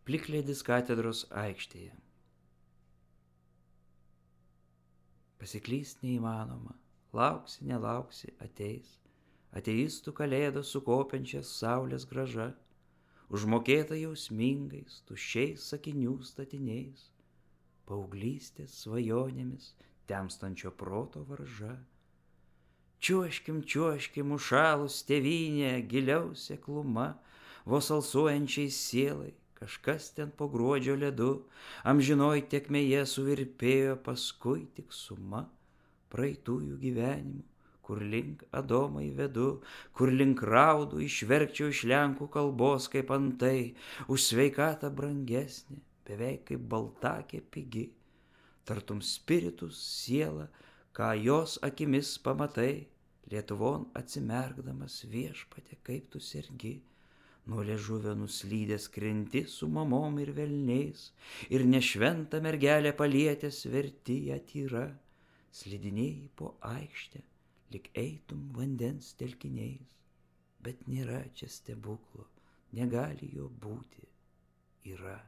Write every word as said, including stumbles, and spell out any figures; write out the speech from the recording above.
plikledis katedros aikštėje. Pasiklyst neįmanoma, lauksi, nelauksi, ateis, ateistų kalėdos su kopiančias saulės graža, užmokėta jausmingais, tuščiais sakinių statiniais, paauglystės svajonėmis temstančio proto varža. Čiuoškim, čiuoškim, užšalus tėvynė, giliau sekluma, vos alsuojančiai sielai, kažkas ten po gruodžio ledu, amžinoj tekmėje suvirpėjo, paskui tik suma praeitųjų gyvenimų, kur link Adomai vedu, kur link raudų išverkčiau iš lenkų kalbos, kaip antai, už sveikatą brangesnė, beveik kaip baltakė pigi, tartum spiritus siela, ką jos akimis pamatai, Lietuvon atsimerkdamas viešpate, kaip tu sergi, nuo liežuvio nuslydęs krenti su mamom ir velniais, ir nešventą mergelę palietęs verti ją tyra, slidinėjai po aikštę, lyg eitum vandens telkiniais, bet nėra čia stebuklo, negali jo būti, yra.